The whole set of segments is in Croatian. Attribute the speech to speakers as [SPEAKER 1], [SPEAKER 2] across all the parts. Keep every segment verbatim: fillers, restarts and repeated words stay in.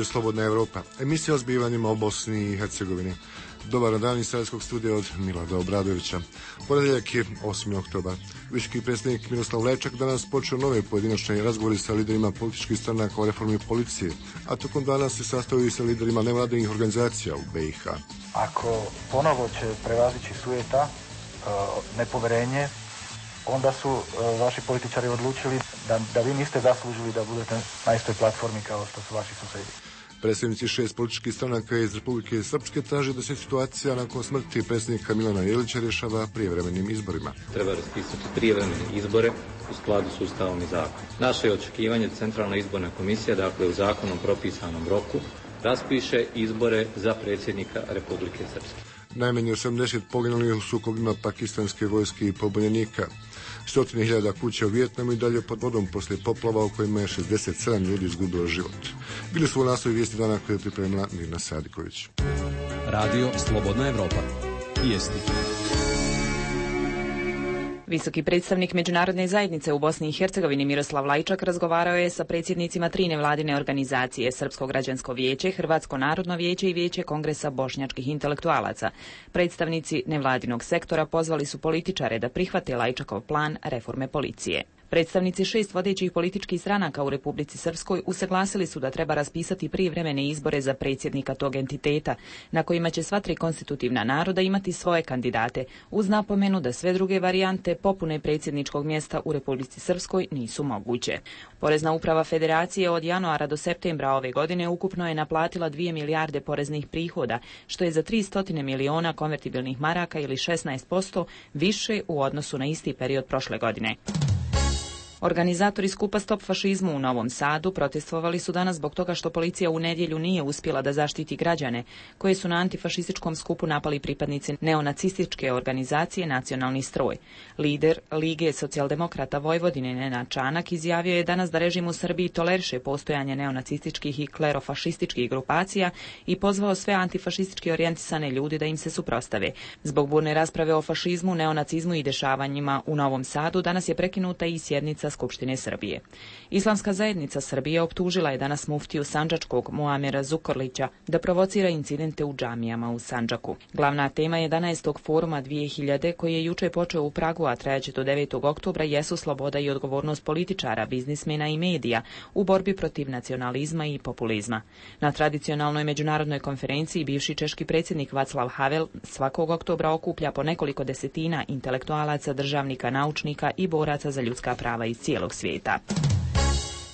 [SPEAKER 1] Radio Slobodna Evropa, emisija o zbivanjima u Bosni i Hercegovini. Dobar dan iz Sarajevskog studija od Milada Obradovića. Ponedjeljak je osmi oktobar. Visoki predsjednik Miroslav Lajčak danas počeo nove pojedinačne razgovori sa liderima političkih stranaka o reformi policije, a tokom dana se sastavio i sa liderima nevladinih organizacija u B i H.
[SPEAKER 2] Ako ponovo će prevazići sujeta, nepoverenje, onda su vaši političari odlučili da, da vi niste zaslužili da budete na istoj platformi kao što su vaši susjedi.
[SPEAKER 1] Predstavnici šest političkih stranaka iz Republike Srpske traže da se situacija nakon smrti predsjednika Milana Jelića rješava prijevremenim izborima.
[SPEAKER 3] Treba raspisati prijevremene izbore u skladu s Ustavom i zakonom. Naše je očekivanje da Centralna izborna komisija, dakle u zakonom propisanom roku, raspiše izbore za predsjednika Republike Srpske.
[SPEAKER 1] Najmanje osamdeset poginulih u sukobima pakistanske vojske i pobunjenika. Stotine hiljada kuća u Vijetnamu i dalje pod vodom poslije poplava u kojima je šezdeset sedam ljudi izgubilo život. Bili su u naslovi vijesti dana koje je pripremila Mirna Sadiković.
[SPEAKER 4] Radio Slobodna Evropa. Vijesti.
[SPEAKER 5] Visoki predstavnik Međunarodne zajednice u Bosni i Hercegovini Miroslav Lajčak razgovarao je sa predsjednicima tri nevladine organizacije, Srpsko građansko vijeće, Hrvatsko narodno vijeće i Vijeće Kongresa bošnjačkih intelektualaca. Predstavnici nevladinog sektora pozvali su političare da prihvate Lajčakov plan reforme policije. Predstavnici šest vodećih političkih stranaka u Republici Srpskoj usaglasili su da treba raspisati prijevremene izbore za predsjednika tog entiteta, na kojima će sva tri konstitutivna naroda imati svoje kandidate, uz napomenu da sve druge varijante popune predsjedničkog mjesta u Republici Srpskoj nisu moguće. Porezna uprava Federacije od januara do septembra ove godine ukupno je naplatila dvije milijarde poreznih prihoda, što je za tristo miliona konvertibilnih maraka ili šesnaest posto više u odnosu na isti period prošle godine. Organizatori skupa Stop fašizmu u Novom Sadu protestovali su danas zbog toga što policija u nedjelju nije uspjela da zaštiti građane, koje su na antifašističkom skupu napali pripadnici neonacističke organizacije Nacionalni stroj. Lider Lige socijaldemokrata Vojvodine Nenad Čanak izjavio je danas da režim u Srbiji toleriše postojanje neonacističkih i klerofašističkih grupacija i pozvao sve antifašistički orijentisane ljude da im se suprotstave. Zbog burne rasprave o fašizmu, neonacizmu i dešavanjima u Novom Sadu danas je prekinuta i sjednica Skupštine Srbije. Islamska zajednica Srbije optužila je danas muftiju Sandžačkog Muamera Zukorlića da provocira incidente u džamijama u Sandžaku. Glavna tema jedanaestog foruma dvije hiljade koji je juče počeo u Pragu, a trajaće do devetog oktobra, jesu sloboda i odgovornost političara, biznismena i medija u borbi protiv nacionalizma i populizma. Na tradicionalnoj međunarodnoj konferenciji bivši češki predsjednik Vaclav Havel svakog oktobra okuplja po nekoliko desetina intelektualaca, državnika, naučnika i boraca za ljudska prava iz cijelog svijeta.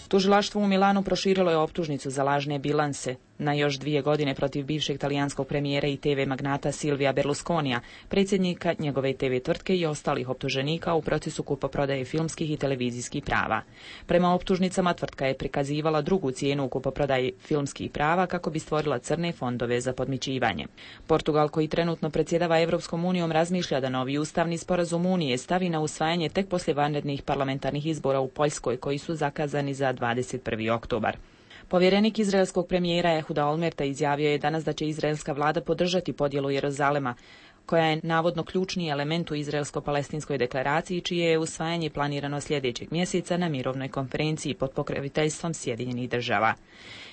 [SPEAKER 5] Tužilaštvo u Milanu proširilo je optužnicu za lažne bilanse na još dvije godine protiv bivšeg talijanskog premijera i te ve magnata Silvija Berlusconija, predsjednika njegove te ve tvrtke i ostalih optuženika u procesu kupoprodaje filmskih i televizijskih prava. Prema optužnicama tvrtka je prikazivala drugu cijenu u kupoprodaji filmskih prava kako bi stvorila crne fondove za podmićivanje. Portugal, koji trenutno predsjedava Evropskom unijom, razmišlja da novi ustavni sporazum Unije stavi na usvajanje tek poslije vanrednih parlamentarnih izbora u Poljskoj koji su zakazani za dvadeset prvi oktobar. Povjerenik izraelskog premijera Ehuda Olmerta izjavio je danas da će izraelska vlada podržati podjelu Jeruzalema, koja je navodno ključni element u izraelsko-palestinskoj deklaraciji, čije je usvajanje planirano sljedećeg mjeseca na mirovnoj konferenciji pod pokroviteljstvom Sjedinjenih država.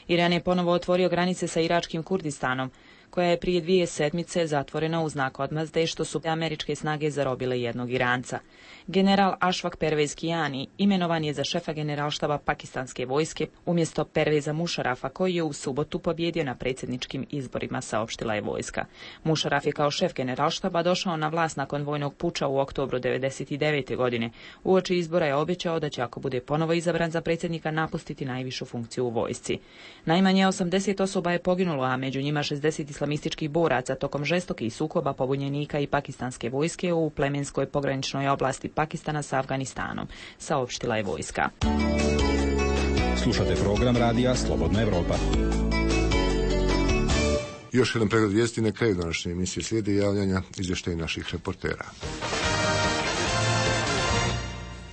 [SPEAKER 5] Iran je ponovo otvorio granice sa iračkim Kurdistanom, koja je prije dvije sedmice zatvorena u znak odmazde što su američke snage zarobile jednog Iranca. General Ašfak Pervez Kijani imenovan je za šefa generalštaba pakistanske vojske umjesto Perveza Mušarafa, koji je u subotu pobjedio na predsjedničkim izborima, saopštila je vojska. Mušaraf je kao šef generalštaba došao na vlast nakon vojnog puča u oktobru devedeset devete godine. Uoči izbora je obećao da će, ako bude ponovo izabran za predsjednika, napustiti najvišu funkciju u vojsci. Najmanje osamdeset osoba je poginulo, a među njima šezdeset islamističkih boraca tokom žestokih sukoba pobunjenika i pakistanske vojske u plemenskoj pograničnoj oblasti Pakistana sa Afganistanom, saopštila je vojska.
[SPEAKER 4] Slušate program radija Slobodna Evropa.
[SPEAKER 1] Još jedan pregled vijesti na kraju današnje emisije slijede javljanja izvještaja naših reportera.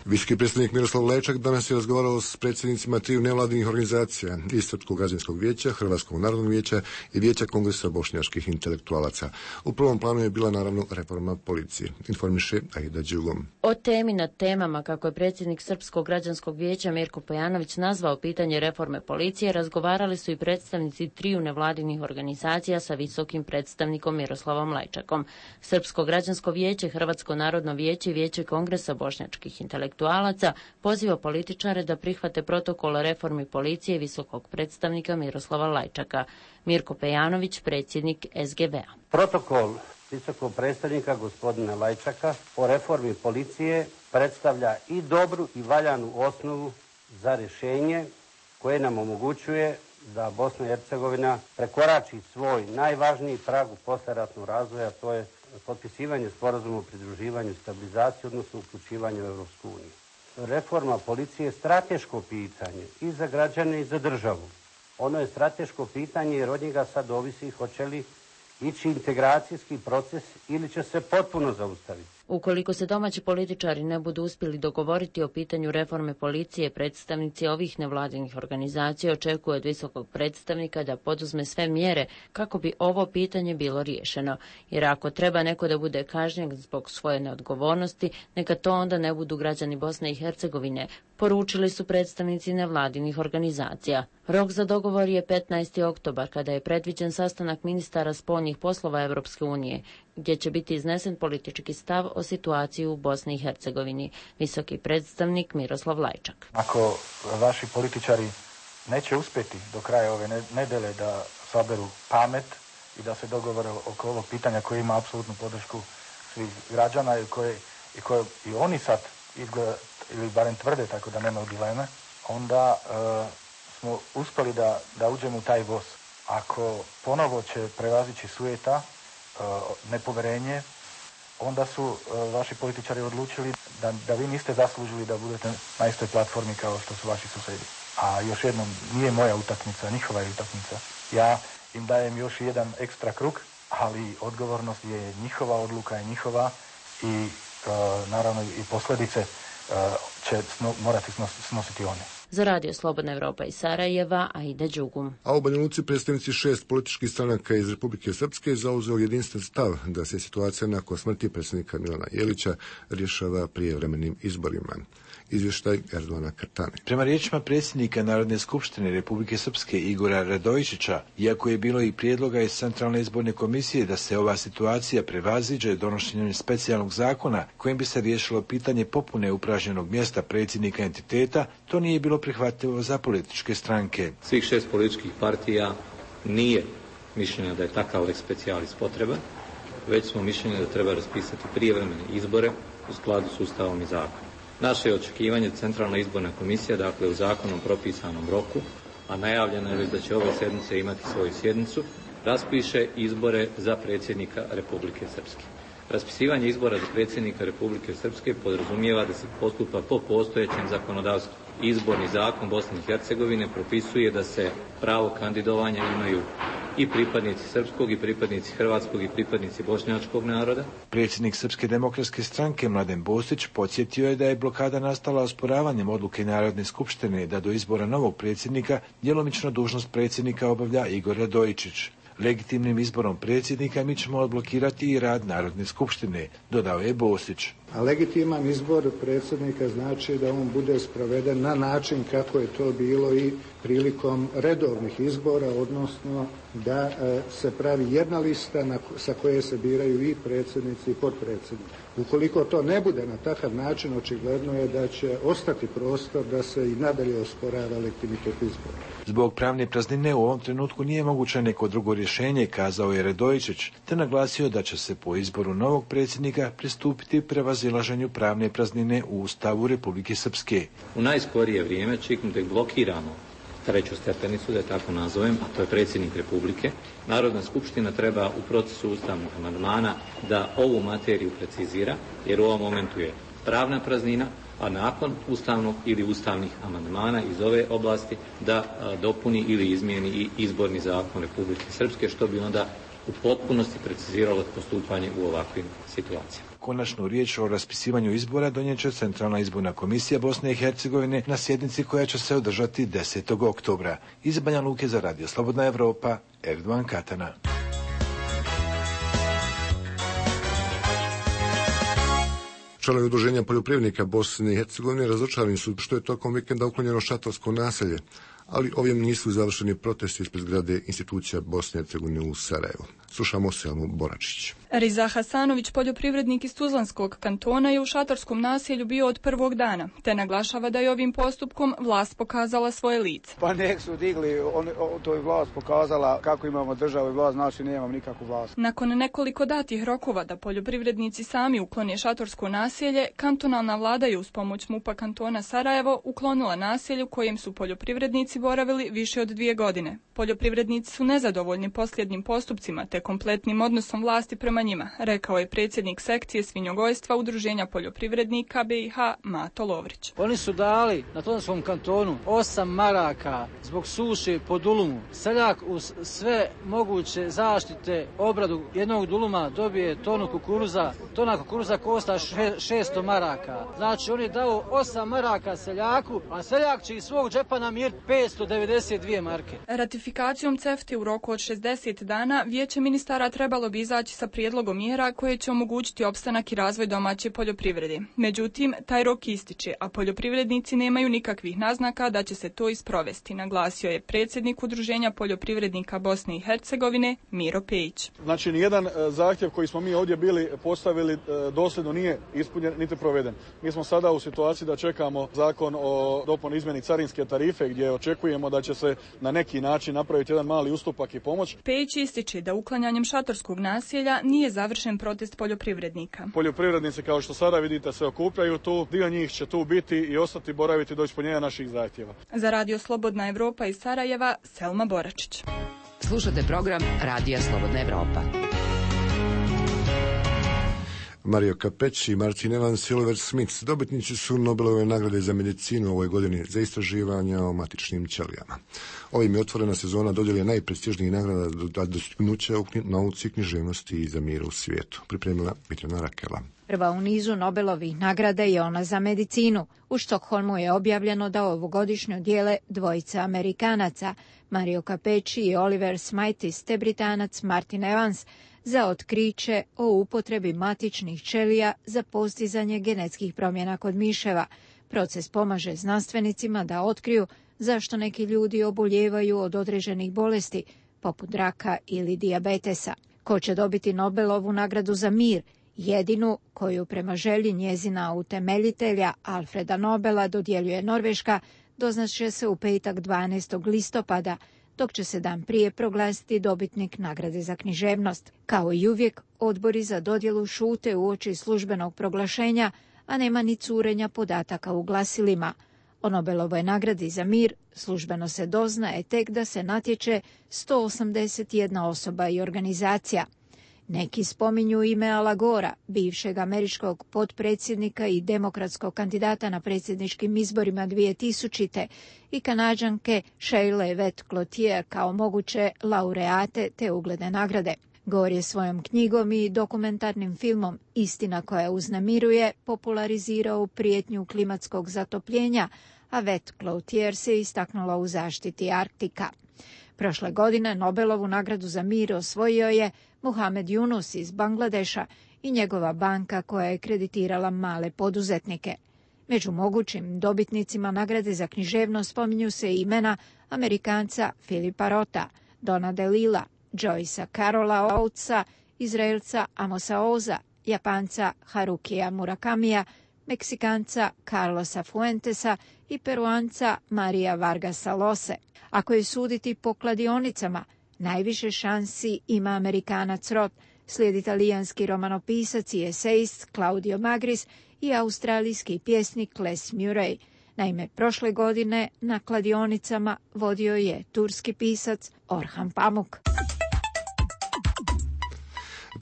[SPEAKER 1] Visoki predstavnik Miroslav Lečak danas je razgovarao s predsjednicima triju nevladinih organizacija iz Srpskog građanskog vijeća, Hrvatskog narodnog vijeća i Vijeća kongresa bošnjačkih intelektualaca. U prvom planu je bila naravno reforma policije. Informiše Aida Đugom.
[SPEAKER 6] O temi nad temama, kako je predsjednik Srpskog građanskog vijeća Mirko Pejanović nazvao pitanje reforme policije, razgovarali su i predstavnici triju nevladinih organizacija sa visokim predstavnikom Miroslavom Lajčakom. Srpsko građansko vijeće, Hrvatsko narodno vijeće i Vijeće kongresa bošnjačkih intelektualaca poziva političare da prihvate protokol o reformi policije i visokog predstavnika Miroslava Lajčaka. Mirko Pejanović, predsjednik S G B-a.
[SPEAKER 7] Protokol visokog predstavnika gospodina Lajčaka o reformi policije predstavlja i dobru i valjanu osnovu za rješenje koje nam omogućuje da Bosna i Hercegovina prekorači svoj najvažniji prag u poslijeratnog razvoja, to je potpisivanje sporazuma o pridruživanju i stabilizaciji, odnosno uključivanju u Europsku uniju. Reforma policije je strateško pitanje i za građane i za državu. Ono je strateško pitanje jer od njega sad ovisi hoće li ići integracijski proces ili će se potpuno zaustaviti.
[SPEAKER 6] Ukoliko se domaći političari ne budu uspjeli dogovoriti o pitanju reforme policije, predstavnici ovih nevladinih organizacija očekuju od visokog predstavnika da poduzme sve mjere kako bi ovo pitanje bilo riješeno. Jer ako treba neko da bude kažnjen zbog svoje neodgovornosti, neka to onda ne budu građani Bosne i Hercegovine, poručili su predstavnici nevladinih organizacija. Rok za dogovor je petnaesti oktobar, kada je predviđen sastanak ministara spoljnih poslova Europske unije, gdje će biti iznesen politički stav o situaciji u Bosni i Hercegovini. Visoki predstavnik Miroslav Lajčak.
[SPEAKER 2] Ako vaši političari neće uspjeti do kraja ove nedjelje da saberu pamet i da se dogovore oko ovog pitanja koje ima apsolutnu podršku svih građana i koje i, koje, i oni sad izgleda, ili barem tvrde tako da nema dileme, onda e, smo uspjeli da, da uđemo u taj voz. Ako ponovo će prevazići sujeta, nepoverenje, onda su vaši političari odlučili da, da vi niste zaslužili da budete na istoj platformi kao što su vaši susjedi. A još jednom, nije moja utakmica, njihova je utakmica. Ja im dajem još jedan ekstra krug, ali odgovornost je njihova, odluka je njihova i uh, naravno i posljedice uh, će sno, morati snositi one.
[SPEAKER 6] Za Radio Slobodna Evropa iz Sarajeva, Aida Đugum.
[SPEAKER 1] A u Banja Luci predstavnici šest političkih stranaka iz Republike Srpske zauzeo jedinstven stav da se situacija nakon smrti predsjednika Milana Jelića rješava prijevremenim izborima. Izvještaj Erdovana Kartane.
[SPEAKER 8] Prema riječima predsjednika Narodne skupštine Republike Srpske Igora Radojičića, iako je bilo i prijedloga iz Centralne izborne komisije da se ova situacija prevaziđe donošenjem specijalnog zakona kojim bi se riješilo pitanje popune upražnjenog mjesta predsjednika entiteta, to nije bilo prihvatljivo za političke stranke.
[SPEAKER 3] Svih šest političkih partija nije mišljenja da je takav lex specialis potreban, već smo mišljenja da treba raspisati prijevremene izbore u skladu s Ustavom i zakonom. Naše je očekivanje Centralna izborna komisija, dakle u zakonom propisanom roku, a najavljeno je već da će ove sjednice imati svoju sjednicu, raspiše izbore za predsjednika Republike Srpske. Raspisivanje izbora za predsjednika Republike Srpske podrazumijeva da se postupa po postojećem zakonodavstvu. Izborni zakon Bosne i Hercegovine propisuje da se pravo kandidovanja imaju i pripadnici srpskog i pripadnici hrvatskog i pripadnici bošnjačkog naroda.
[SPEAKER 8] Predsjednik Srpske demokratske stranke Mladen Bostić podsjetio je da je blokada nastala osporavanjem odluke Narodne skupštine da do izbora novog predsjednika djelomično dužnost predsjednika obavlja Igor Radojičić. Legitimnim izborom predsjednika mi ćemo odblokirati i rad Narodne skupštine, dodao je Bostić.
[SPEAKER 9] A legitiman izbor predsjednika znači da on bude sproveden na način kako je to bilo i prilikom redovnih izbora, odnosno da e, se pravi jedna lista na, sa koje se biraju i predsjednici i potpredsjednici. Ukoliko to ne bude na takav način, očigledno je da će ostati prostor da se i nadalje osporava legitimitet izbora.
[SPEAKER 8] Zbog pravne praznine u ovom trenutku nije moguće neko drugo rješenje, kazao je Radojičić, te naglasio da će se po izboru novog predsjednika pristupiti prevazilaženju pravne praznine u Ustavu Republike Srpske.
[SPEAKER 3] U najskorije vrijeme čekam da blokiramo treću stepenicu, da je tako nazovem, a to je predsjednik Republike. Narodna skupština treba u procesu ustavnog amandmana da ovu materiju precizira, jer u ovom momentu je pravna praznina, a nakon ustavnog ili ustavnih amandmana iz ove oblasti da a, dopuni ili izmijeni i izborni zakon Republike Srpske, što bi onda u potpunosti preciziralo postupanje u ovakvim situacijama.
[SPEAKER 8] Konačnu riječ o raspisivanju izbora donijet će Centralna izborna komisija Bosne i Hercegovine na sjednici koja će se održati desetog oktobra. Iz Banja Luke za Radio Slobodna Evropa, Erdovan Katana.
[SPEAKER 1] Članovi Udruženja poljoprivrednika Bosne i Hercegovine razočarani su što je tokom vikenda uklonjeno šatorsko naselje, ali ovim nisu završeni protesti ispred zgrade institucija Bosne i Hercegovine u Sarajevu. Slušamo Selmu Boračić.
[SPEAKER 10] Riza Hasanović, poljoprivrednik iz Tuzlanskog kantona, je u šatorskom naselju bio od prvog dana, te naglašava da je ovim postupkom vlast pokazala svoje lice.
[SPEAKER 11] Pa nek su digli, on, to je vlast pokazala kako imamo državu i vlast, znači nemam nikakvu vlast.
[SPEAKER 10] Nakon nekoliko datih rokova da poljoprivrednici sami uklone šatorsko naselje, kantonalna vlada je uz pomoć MUP-a kantona Sarajevo uklonila naselje u kojem su poljoprivrednici boravili više od dvije godine. Poljoprivrednici su nezadovoljni posljednjim postupcima te kompletnim odnosom vlasti prema njima, rekao je predsjednik sekcije svinjogojstva Udruženja poljoprivrednika B i H Mato Lovrić.
[SPEAKER 12] Oni su dali na Tuzlanskom kantonu osam maraka zbog suše po dulumu. Seljak uz sve moguće zaštite, obradu jednog duluma dobije tonu kukuruza. Tona kukuruza košta šesto maraka. Znači oni dao osam maraka seljaku, a seljak će iz svog džepa namiriti petsto devedeset dvije marke.
[SPEAKER 10] Ratifikacijom C E F T-e u roku od šezdeset dana Vijeće ministara trebalo bi izaći sa prijedlogom mjera koje će omogućiti opstanak i razvoj domaće poljoprivrede. Međutim, taj rok ističe, a poljoprivrednici nemaju nikakvih naznaka da će se to isprovesti, naglasio je predsjednik Udruženja poljoprivrednika Bosne i Hercegovine Miro Pejić.
[SPEAKER 13] Znači, nijedan zahtjev koji smo mi ovdje bili postavili dosljedno nije ispunjen niti proveden. Mi smo sada u situaciji da čekamo zakon o dopuni izmjeni carinske tarife gdje očekujemo da će se na neki način napraviti jedan mali ustupak i pomoć.
[SPEAKER 10] Pejić ističe da uklanjanjem šatorskog naselja nije završen protest poljoprivrednika.
[SPEAKER 13] Poljoprivrednici, kao što sada vidite, se okupljaju tu, dio njih će tu biti i ostati boraviti do ispunjenja naših zahtjeva.
[SPEAKER 10] Za Radio Slobodna Evropa iz Sarajeva, Selma Boračić.
[SPEAKER 14] Slušate program Radija Slobodna Evropa.
[SPEAKER 1] Mario Capecci i Martin Evans Silver Smith dobitnici su Nobelove nagrade za medicinu u ovoj godini za istraživanja o matičnim ćelijama. Ovim je otvorena sezona dodjele najprestižnijih nagrada do dostignuća u nauci, književnosti i za mir u svijetu. Pripremila Mirjana Rakela.
[SPEAKER 15] Prva u nizu Nobelovih nagrada je ona za medicinu. U Štokholmu je objavljeno da ovogodišnju dijele dvojica Amerikanaca, Mario Capecci i Oliver Smithis, te Britanac Martin Evans, za otkriće o upotrebi matičnih ćelija za postizanje genetskih promjena kod miševa. Proces pomaže znanstvenicima da otkriju zašto neki ljudi oboljevaju od određenih bolesti, poput raka ili dijabetesa. Ko će dobiti Nobelovu nagradu za mir, jedinu koju prema želji njezina utemeljitelja Alfreda Nobela dodjeljuje Norveška, doznaće se u petak dvanaestog listopada, dok će se dan prije proglasiti dobitnik nagrade za književnost. Kao i uvijek, odbori za dodjelu šute uoči službenog proglašenja, a nema ni curenja podataka u glasilima. O Nobelovoj nagradi za mir službeno se doznaje tek da se natječe sto osamdeset jedna osoba i organizacija. Neki spominju ime Ala Gora, bivšeg američkog potpredsjednika i demokratskog kandidata na predsjedničkim izborima dvije tisućite i Kanađanke Sheila Vett Cloutier kao moguće laureate te ugledne nagrade. Gore je svojom knjigom i dokumentarnim filmom Istina koja uznemiruje popularizirao prijetnju klimatskog zatopljenja, a Vett Cloutier se istaknula u zaštiti Arktika. Prošle godine Nobelovu nagradu za mir osvojio je Muhamed Yunus iz Bangladeša i njegova banka koja je kreditirala male poduzetnike. Među mogućim dobitnicima nagrade za književnost spominju se imena Amerikanca Filipa Rota, Dona DeLilla, Joycea Carola Oatesa, Izraelca Amosa Oza, Japanca Harukija Murakamija, Meksikanca Carlosa Fuentesa i Peruanca Maria Vargasa Llose. Ako je suditi po kladionicama, najviše šansi ima Amerikanac Rot, slijedi italijanski romanopisac i esejist Claudio Magris i australijski pjesnik Les Murray. Naime, prošle godine na kladionicama vodio je turski pisac Orhan Pamuk.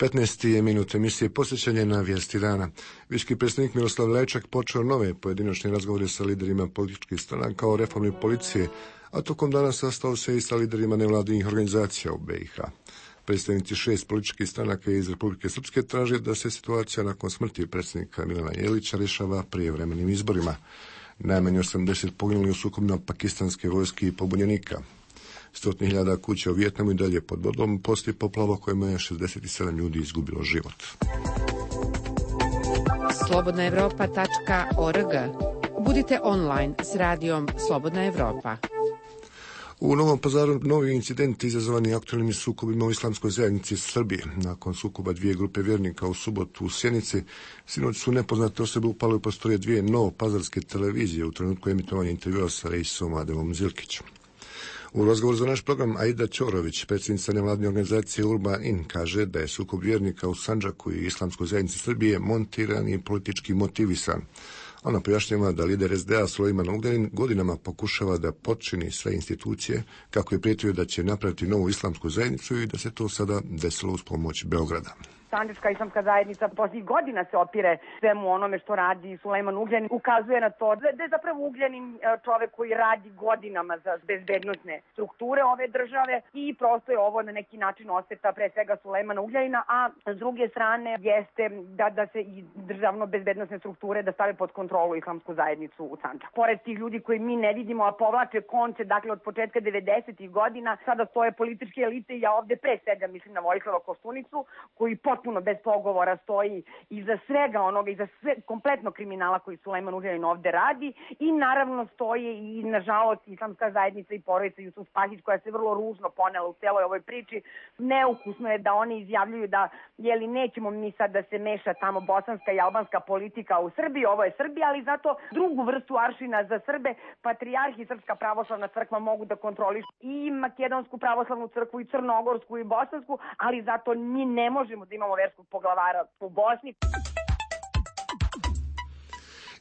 [SPEAKER 1] petnaesti je minut emisije posjećanje na vijesti dana. Visoki predstavnik Miroslav Lajčak počeo nove pojedinačne razgovore sa liderima političkih stranaka o reformi policije, a tokom dana sastao se i sa liderima nevladinih organizacija u B i H. Predstavnici šest političkih stranaka iz Republike Srpske traže da se situacija nakon smrti predsjednika Milana Jelića rješava prijevremenim izborima. Najmanje osamdeset poginuli u sukobima pakistanske vojske i pobunjenika. Stotine hiljada kuća u Vijetnamu i dalje pod vodom poslije poplava kojima je šezdeset sedam ljudi izgubilo život.
[SPEAKER 14] slobodna evropa tačka org. Budite online s radijom Slobodna Evropa.
[SPEAKER 1] U Novom Pazaru novi incidenti izazvani aktualnim sukobima u islamskoj zajednici Srbije. Nakon sukoba dvije grupe vjernika u subotu u Sjenici, sinoć su nepoznate osobe upale u prostorije dvije novopazarske televizije u trenutku emitovanja intervjua sa reisom Ademom Zilkićem. U razgovoru za naš program Aida Ćorović, predsjednica nevladine organizacije Urban In, kaže da je sukob vjernika u Sandžaku i islamskoj zajednici Srbije montiran i politički motivisan. Ona pojašnjava da lider es de a Sulejman Ugljanin godinama pokušava da potčini sve institucije kako je prijetio da će napraviti novu islamsku zajednicu i da se to sada desilo uz pomoć Beograda.
[SPEAKER 16] Sandžačka islamska zajednica posljednjih godina se opire svemu onome što radi Sulejman Ugljanin. Ukazuje na to da je zapravo Ugljanin čovek koji radi godinama za bezbednosne strukture ove države i prosto je ovo na neki način osveta pre svega Sulejmana Ugljanina, a s druge strane jeste da, da se i državno bezbednosne strukture da stave pod kontrolu islamsku zajednicu u Sandžaku. Pored tih ljudi koji mi ne vidimo, a povlače konce, dakle od početka devedesetih godina, sada stoje političke elite i ja ovde pre svega mislim na Vojislava Koštunicu, koji potpuno bez pogovora stoji iza svega onoga, iza sve, kompletno kriminala koji Sulejman Ugljanin ovde radi i naravno stoje i nažalost islamska zajednica i porodica Jusuf Spahić koja se vrlo ružno ponela u celoj ovoj priči. Neukusno je da oni izjavljuju da jeli nećemo mi sad da se meša tamo bosanska i albanska politika u Srbiji, ovo je Srbija, ali zato drugu vrstu aršina za Srbe patrijarh i Srpska pravoslavna crkva mogu da kontrolišu i Makedonsku pravoslavnu crkvu i Crnogorsku i Bosansku, ali zato mi ne možemo da imamo verskog poglavara u Bosni.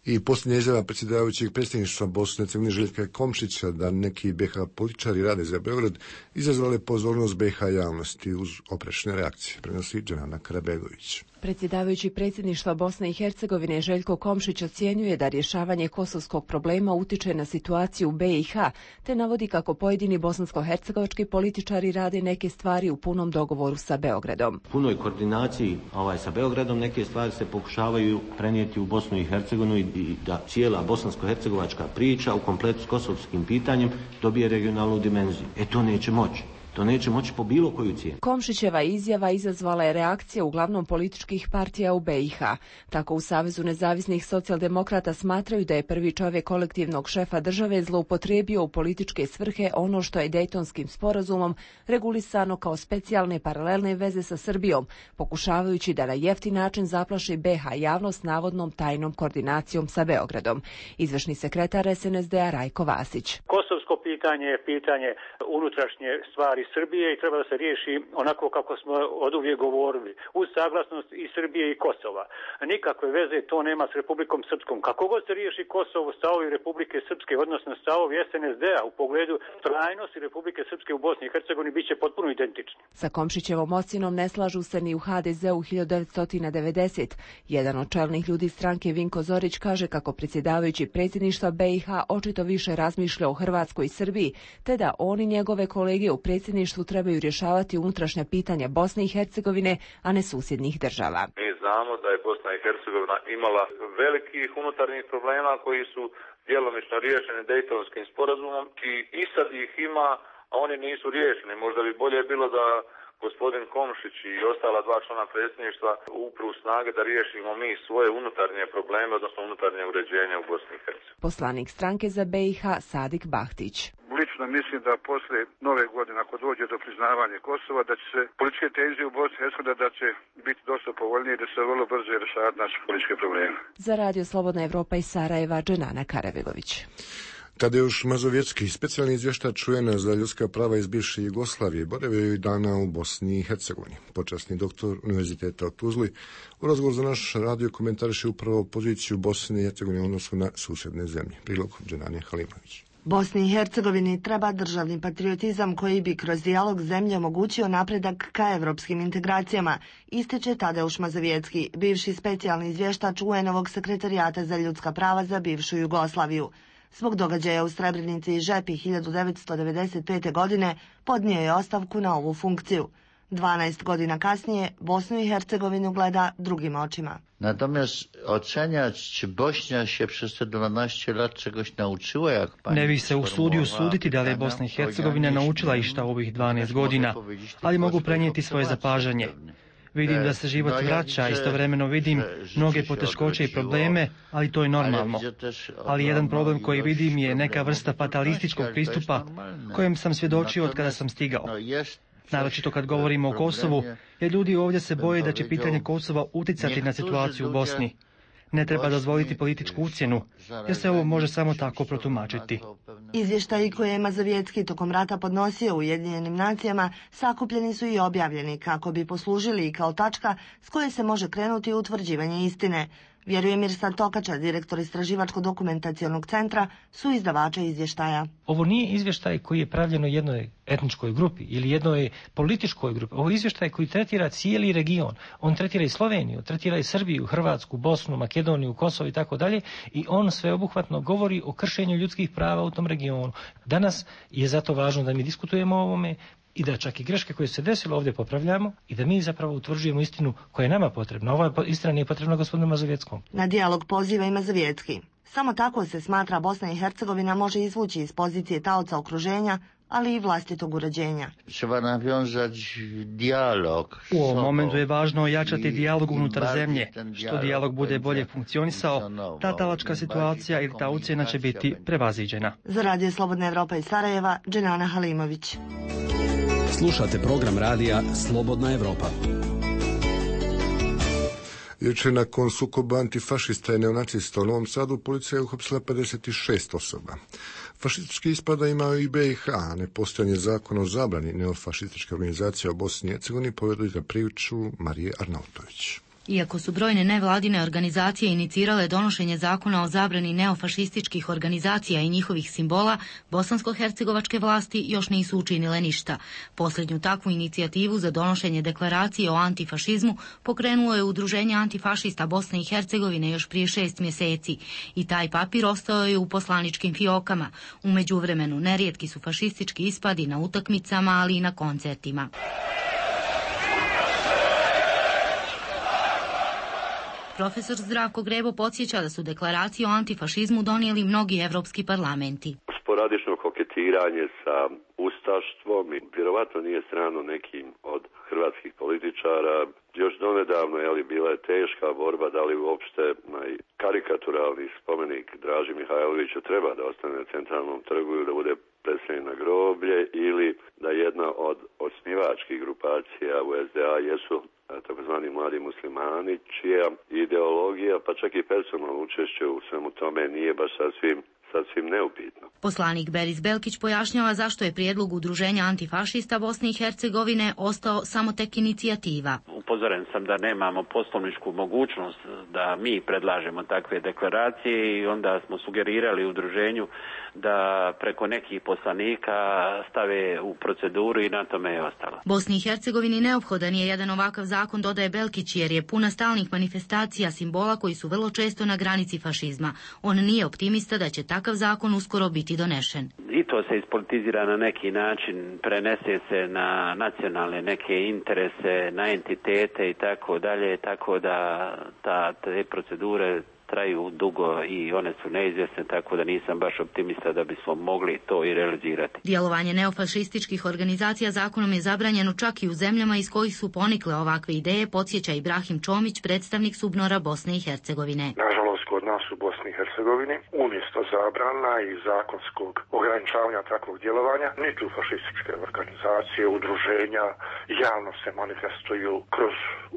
[SPEAKER 1] I posljednja izjava predsjedavajućeg predsjedništva Bosne i Hercegovine Željka Komšića da neki be ha političari rade za Beograd izazvale pozornost be ha javnosti uz oprečne reakcije, prenosi Dženana Karabegović.
[SPEAKER 17] Predsjedavajući predsjedništva Bosne i Hercegovine Željko Komšić ocjenjuje da rješavanje kosovskog problema utiče na situaciju u be i ha, te navodi kako pojedini bosansko-hercegovački političari rade neke stvari u punom dogovoru sa Beogradom.
[SPEAKER 18] U punoj koordinaciji ovaj, sa Beogradom neke stvari se pokušavaju prenijeti u Bosnu i Hercegovinu i da cijela bosansko-hercegovačka priča u kompletu s kosovskim pitanjem dobije regionalnu dimenziju. E to neće moći. To neće moći po bilo koju cijenu.
[SPEAKER 17] Komšićeva izjava izazvala je reakcije uglavnom političkih partija u be i ha. Tako u Savezu nezavisnih socijaldemokrata smatraju da je prvi čovjek kolektivnog šefa države zloupotrijebio u političke svrhe ono što je Dejtonskim sporazumom regulisano kao specijalne paralelne veze sa Srbijom, pokušavajući da na jeftin način zaplaši be ha javnost navodnom tajnom koordinacijom sa Beogradom. Izvršni sekretar es en es de a Rajko Vasić.
[SPEAKER 19] Kosovsko pitanje je pitanje unutrašnje stvari Srbije i treba da se riješi onako kako smo oduvijek govorili, uz saglasnost i Srbije i Kosova. Nikakve veze to nema s Republikom Srpskom. Kako god se riješi Kosovo, stavovi Republike Srpske, odnosno stavovi es en es de a u pogledu trajnosti Republike Srpske u Bosni i Hercegovini biće potpuno identični.
[SPEAKER 17] Sa Komšićevom ocjenom ne slažu se ni u ha de ze u hiljadu devetsto devedeset. Jedan od čelnih ljudi stranke Vinko Zorić kaže kako predsjedavajući predsjedništva be i ha očito više razmišlja o Hrvatskoj i Srbiji, te da on i njegove kolege u predsjedništvu trebaju rješavati unutrašnja pitanja Bosne i Hercegovine, a ne susjednih država.
[SPEAKER 20] Mi znamo da je Bosna i Hercegovina imala velikih unutarnjih problema koji su djelomično riješeni Dejtonskim sporazumom i, i sad ih ima, a oni nisu riješeni. Možda bi bolje bilo da gospodin Komšić i ostala dva člana predsjedništva upru snage da riješimo mi svoje unutarnje probleme, odnosno unutarnje uređenje u Bosni i Hercegovini.
[SPEAKER 17] Poslanik stranke za be i ha Sadik Bahtić.
[SPEAKER 21] Lično mislim da poslije nove godine, ako dođe do priznavanja Kosova, da će se političke tenzije u Bosni i Hercegovini da će biti dosta povoljnije i da se vrlo brzo rješavati naše političke probleme.
[SPEAKER 17] Za Radio Slobodna Evropa iz Sarajeva, Dženana Karabegović.
[SPEAKER 1] Tadeuš Mazovjetski, specijalni izvještač U N-a za ljudska prava iz bivše Jugoslavije, boravio je i dana u Bosni i Hercegovini. Počasni doktor Univerziteta u Tuzli u razgovoru za naš radio komentariše upravo poziciju Bosne i Hercegovine u odnosu na susjedne zemlje. Prilog Dženanje Halimović.
[SPEAKER 22] Bosni i Hercegovini treba državni patriotizam koji bi kroz dijalog zemlje omogućio napredak ka evropskim integracijama, ističe Tadeuš Mazovjetski, bivši specijalni izvještač U N-ovog sekretarijata za ljudska prava za bivšu Jugoslaviju. Zbog događaja u Srebrenici i Žepi hiljadu devetsto devedeset pete. godine podnio je ostavku na ovu funkciju. dvanaest godina kasnije Bosnu i Hercegovinu gleda drugim očima.
[SPEAKER 4] Natomiast oceniać, czy Bośnia się przez te dwanaście lat czegoś nauczyła, jak pani...
[SPEAKER 5] Ne bih se usudio suditi da li je Bosna i Hercegovina naučila išta u ovih dvanaest godina, ali mogu prenijeti svoje zapažanje. Vidim da se život vraća, istovremeno vidim mnoge poteškoće i probleme, ali to je normalno. Ali jedan problem koji vidim je neka vrsta fatalističkog pristupa kojem sam svjedočio od kada sam stigao. Naročito kad govorimo o Kosovu, jer ljudi ovdje se boje da će pitanje Kosova uticati na situaciju u Bosni. Ne treba dozvoliti političku ucjenu, jer se ovo može samo tako protumačiti.
[SPEAKER 22] Izvještaji koje je Mazovjetski tokom rata podnosio Ujedinjenim nacijama sakupljeni su i objavljeni kako bi poslužili i kao tačka s koje se može krenuti u utvrđivanje istine. Vjeruje Mirsad Tokača, direktor Istraživačko-dokumentacionog centra, su izdavača izvještaja.
[SPEAKER 23] Ovo nije izvještaj koji je pravljeno jednoj etničkoj grupi ili jednoj političkoj grupi. Ovo je izvještaj koji tretira cijeli region. On tretira i Sloveniju, tretira i Srbiju, Hrvatsku, Bosnu, Makedoniju, Kosovo i tako dalje. I on sveobuhvatno govori o kršenju ljudskih prava u tom regionu. Danas je zato važno da mi diskutujemo o ovome i da čak i greške koje se desilo ovdje popravljamo i da mi zapravo utvrđujemo istinu koja je nama potrebna. Ova istina nije potrebna gospodinu Mazovjetskom.
[SPEAKER 22] Na dijalog poziva i Mazovjetski. Samo tako se smatra Bosna i Hercegovina može izvući iz pozicije taoca okruženja, ali i vlastitog uređenja.
[SPEAKER 4] Treba nawiązać dijalog.
[SPEAKER 5] U ovom momentu je važno ojačati dijalog unutar zemlje. Što dijalog bude bolje funkcionisao, ta talačka situacija ili ta ucjena će biti prevaziđena.
[SPEAKER 22] Za Radio Slobodna Evropa iz Sarajeva, Dženana Halimović.
[SPEAKER 24] Slušate program radija Slobodna Evropa.
[SPEAKER 1] Jučer nakon sukoba antifašista i neonacista u Novom Sadu policija je uhapsila pedeset šest osoba. Fašistički ispada imao i B i H, a nepostojanje zakona o zabrani neofašističke organizacije u Bosni i Hercegovini povedu za priču Marije Arnautović.
[SPEAKER 25] Iako su brojne nevladine organizacije inicirale donošenje zakona o zabrani neofašističkih organizacija i njihovih simbola, bosansko-hercegovačke vlasti još nisu učinile ništa. Posljednju takvu inicijativu za donošenje deklaracije o antifašizmu pokrenulo je Udruženje antifašista Bosne i Hercegovine još prije šest mjeseci i taj papir ostao je u poslaničkim fiokama. U međuvremenu nerijetki su fašistički ispadi na utakmicama, ali i na koncertima. Profesor Zdravko Grebo podsjeća da su deklaraciju o antifašizmu donijeli mnogi evropski parlamenti.
[SPEAKER 26] Sporadično koketiranje sa ustaštvom i vjerovatno nije strano nekim od hrvatskih političara. Još donedavno je li bila je teška borba da li uopšte karikaturalni spomenik Draži Mihajloviću treba da ostane na centralnom trgu i da bude predstavljen na groblje ili da jedna od osnivačkih grupacija u es de a jesu takozvani mladi muslimani, čija ideologija, pa čak i personalno učešće u svemu tome nije baš sasvim, sasvim neupitno.
[SPEAKER 25] Poslanik Beris Belkić pojašnjava zašto je prijedlog Udruženja antifašista Bosne i Hercegovine ostao samo tek inicijativa.
[SPEAKER 27] Upozoren sam da nemamo poslovničku mogućnost da mi predlažemo takve deklaracije i onda smo sugerirali udruženju da preko nekih poslanika stave u proceduru i na tome je ostalo.
[SPEAKER 25] Bosni i Hercegovini neophodan je jedan ovakav zakon, dodaje Belkić, jer je puna stalnih manifestacija simbola koji su vrlo često na granici fašizma. On nije optimista da će takav zakon uskoro biti donešen.
[SPEAKER 27] I to se ispolitizira na neki način, prenese se na nacionalne neke interese, na entitete i tako dalje, tako da ta, te procedure traju dugo i one su neizvjesne, tako da nisam baš optimista da bismo mogli to i realizirati.
[SPEAKER 25] Djelovanje neofašističkih organizacija zakonom je zabranjeno čak i u zemljama iz kojih su ponikle ovakve ideje, podsjeća Ibrahim Čomić, predstavnik SUBNOR-a Bosne i Hercegovine.
[SPEAKER 28] Nažalost, kod nas u Bosni i Hercegovini umjesto zabrana i zakonskog ograničavanja takvog djelovanja, niti u fašističke organizacije, udruženja javno se manifestuju kroz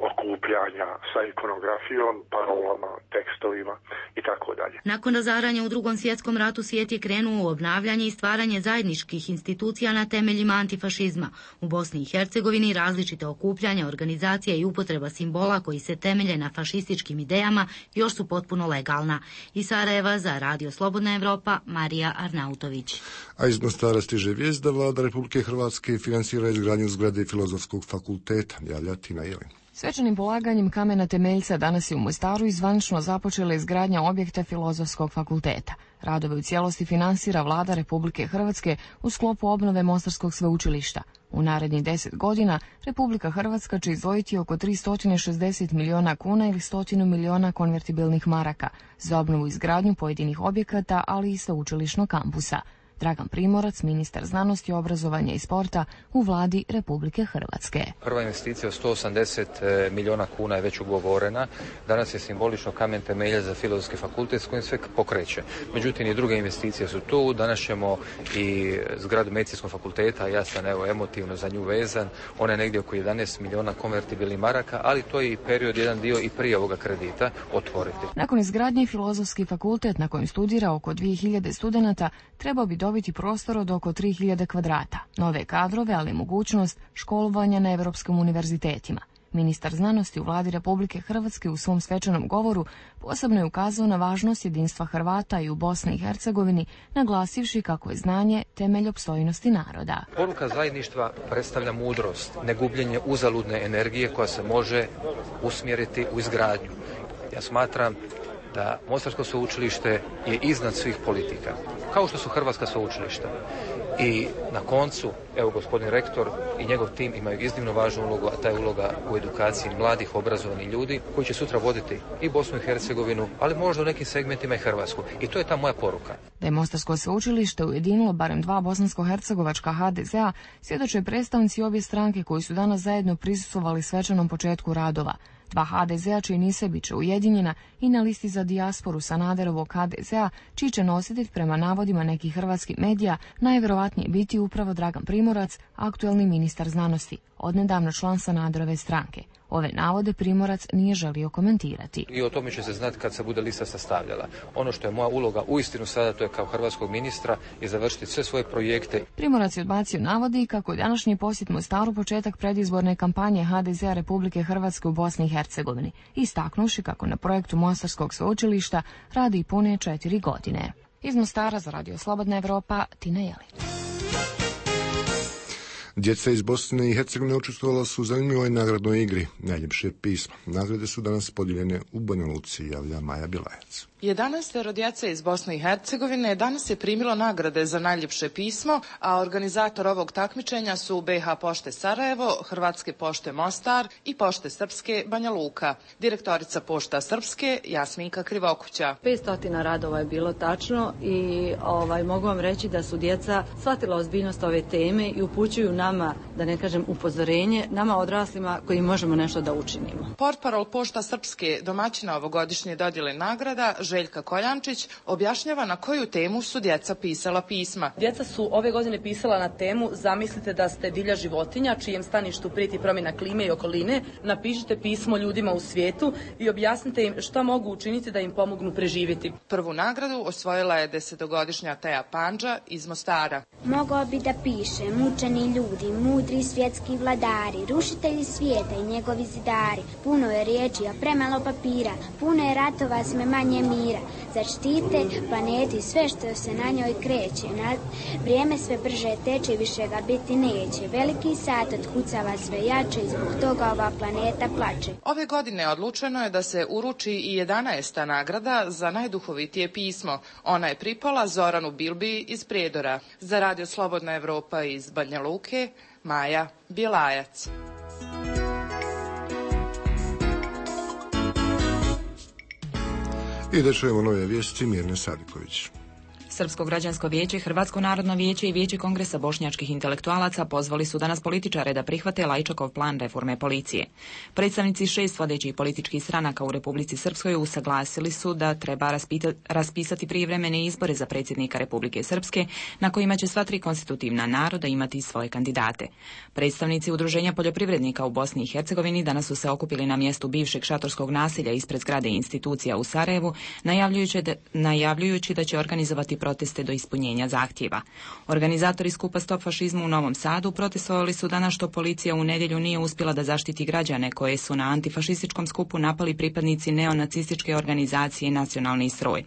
[SPEAKER 28] okupljanja sa ikonografijom, parolama, tekstovima i tako dalje.
[SPEAKER 25] Nakon razaranja u Drugom svjetskom ratu svijet je krenuo u obnavljanje i stvaranje zajedničkih institucija na temeljima antifašizma. U Bosni i Hercegovini različite okupljanja, organizacija i upotreba simbola koji se temelje na fašističkim idejama još su potpuno legalna. Iz Sarajeva za Radio Slobodna Evropa, Marija Arnautović.
[SPEAKER 1] A iz Mostara stiže vijest da vlada Republike Hrvatske finansira izgradnju zgrade Filozofskog fakulteta. Javlja Tina Jelin.
[SPEAKER 29] Svečanim polaganjem kamena temeljca danas je u Mostaru izvanično započela izgradnja objekta Filozofskog fakulteta. Radove u cijelosti finansira vlada Republike Hrvatske u sklopu obnove Mostarskog sveučilišta. U narednih deset godina Republika Hrvatska će izdvojiti oko tristo šezdeset miliona kuna ili sto miliona konvertibilnih maraka za obnovu i izgradnju pojedinih objekata, ali i sveučilišnog kampusa. Dragan Primorac, ministar znanosti, obrazovanja i sporta u vladi Republike Hrvatske.
[SPEAKER 2] Prva investicija od sto osamdeset miliona kuna je već ugovorena. Danas je simbolično kamen temelja za Filozofski fakultet s kojim sve pokreće. Međutim, i druge investicije su tu. Danas ćemo i zgradu Medicinskog fakulteta, ja sam evo emotivno za nju vezan. Ona je negdje oko jedanaest miliona konvertibilnih maraka, ali to je i period, jedan dio i prije ovoga kredita otvoriti.
[SPEAKER 29] Nakon izgradnje Filozofski fakultet na kojem studira oko dvije hiljade studenata trebao bi dobiti prostor od oko tri hiljade kvadrata, nove kadrove, ali i mogućnost školovanja na evropskim univerzitetima. Ministar znanosti u vladi Republike Hrvatske u svom svečanom govoru posebno je ukazao na važnost jedinstva Hrvata i u Bosni i Hercegovini, naglasivši kako je znanje temelj opstojnosti naroda.
[SPEAKER 2] Poruka zajedništva predstavlja mudrost, ne gubljenje uzaludne energije koja se može usmjeriti u izgradnju. Ja smatram da Mostarsko sveučilište je iznad svih politika, kao što su hrvatska sveučilišta. I na koncu, evo gospodin rektor i njegov tim imaju iznimno važnu ulogu, a ta je uloga u edukaciji mladih, obrazovanih ljudi koji će sutra voditi i Bosnu i Hercegovinu, ali možda u nekim segmentima i Hrvatsku. I to je ta moja poruka.
[SPEAKER 29] Da je Mostarsko sveučilište ujedinilo barem dva bosansko-hercegovačka ha de zea, svjedoče predstavnici obje stranke koji su danas zajedno prisustvovali svečanom početku radova. Dva ha de zea čiji nise bit će ujedinjena i na listi za dijasporu Sanaderovog ha de zea, čiji će nositelj prema navodima nekih hrvatskih medija najvjerovatnije biti upravo Dragan Primorac, aktuelni ministar znanosti, odnedavno član Sanaderove stranke. Ove navode Primorac nije želio komentirati.
[SPEAKER 2] I o tome će se znati kad se bude lista sastavljala. Ono što je moja uloga uistinu sada, to je kao hrvatskog ministra, je završiti sve svoje projekte.
[SPEAKER 29] Primorac je odbacio navodi kako je današnji posjet Mostaru početak predizborne kampanje ha de zea Republike Hrvatske u Bosni i Hercegovini, istaknuvši kako na projektu Mostarskog sveučilišta radi i pune četiri godine. Iz Mostara za Radio Slobodna Evropa, Tina Jelić.
[SPEAKER 1] Djeca iz Bosne i Hercegovine učestvovala su u zanimljivoj nagradnoj igri Najljepše pismo. Nagrade su danas podijeljene u Banja Luci, javlja Maja Bilajac.
[SPEAKER 3] jedanaestero djece iz Bosne i Hercegovine danas je primilo nagrade za najljepše pismo, a organizator ovog takmičenja su be ha Pošte Sarajevo, Hrvatske pošte Mostar i Pošte Srpske Banja Luka. Direktorica Pošta Srpske Jasminka Krivokuća.
[SPEAKER 6] petsto radova je bilo tačno i ovaj, mogu vam reći da su djeca shvatila ozbiljnost ove teme i upućuju nama, da ne kažem upozorenje, nama odraslima koji možemo nešto da učinimo.
[SPEAKER 3] Portparol Pošta Srpske, domaćina ovogodišnje dodjele nagrada, Željka Koljančić, objašnjava na koju temu su djeca pisala pisma.
[SPEAKER 6] Djeca su ove godine pisala na temu Zamislite da ste divlja životinja, čijem staništu prijeti promjena klime i okoline. Napišite pismo ljudima u svijetu i objasnite im šta mogu učiniti da im pomognu preživjeti.
[SPEAKER 3] Prvu nagradu osvojila je desetogodišnja Teja Pandža iz Mostara.
[SPEAKER 7] Mogao bi da piše mučeni ljudi, mudri svjetski vladari, rušitelji svijeta i njegovi zidari. Puno je riječi, a premalo papira, puno je ratova, sve manje mira. Zaštite planeti sve što se na njoj kreće. Na vrijeme sve brže teče, više ga biti neće. Veliki sat otkucava sve jače i zbog toga ova planeta plače.
[SPEAKER 3] Ove godine odlučeno je da se uruči i jedanaesta nagrada za najduhovitije pismo. Ona je pripala Zoranu Bilbi iz Prijedora. Za Radio Slobodna Evropa iz Banja Luke, Maja Bjelajac.
[SPEAKER 1] I da čujemo nove vijesti Mirne Sadiković.
[SPEAKER 8] Srpsko građansko vijeće, Hrvatsko narodno vijeće i Vijeće kongresa bošnjačkih intelektualaca pozvali su danas političare da prihvate Lajčakov plan reforme policije. Predstavnici šest vodećih političkih stranaka u Republici Srpskoj usaglasili su da treba raspita, raspisati prijevremene izbore za predsjednika Republike Srpske, na kojima će sva tri konstitutivna naroda imati svoje kandidate. Predstavnici Udruženja poljoprivrednika u Bosni i Hercegovini danas su se okupili na mjestu bivšeg šatorskog naselja ispred zgrade institucija u Sarajevu, najavljujući da, najavljujući da će organizovati proteste do ispunjenja zahtjeva. Organizatori skupa Stop fašizmu u Novom Sadu protestovali su danas što policija u nedjelju nije uspjela da zaštiti građane koje su na antifašističkom skupu napali pripadnici neonacističke organizacije Nacionalni stroj.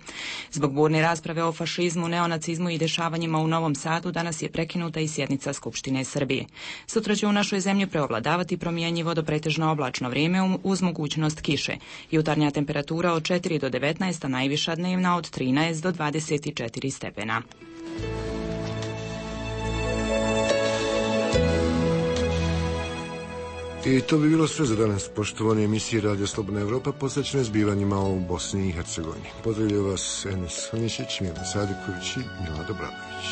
[SPEAKER 8] Zbog burne rasprave o fašizmu, neonacizmu i dešavanjima u Novom Sadu danas je prekinuta i sjednica Skupštine Srbije. Sutra će u našoj zemlji preovladavati promjenjivo do pretežno oblačno vrijeme uz mogućnost kiše. Jutarnja temperatura od četiri do devetnaest, a najviša dnevna od trinaest do dvadeset četiri stepena.
[SPEAKER 1] I to bi bilo sve za danas, poštovane emisije Radio Slobodna Evropa posvećene zbivanjima u Bosni i Hercegovini. Pozdravljaju vas Enes Hanišić, Mirna Sadiković i Milada Obradović.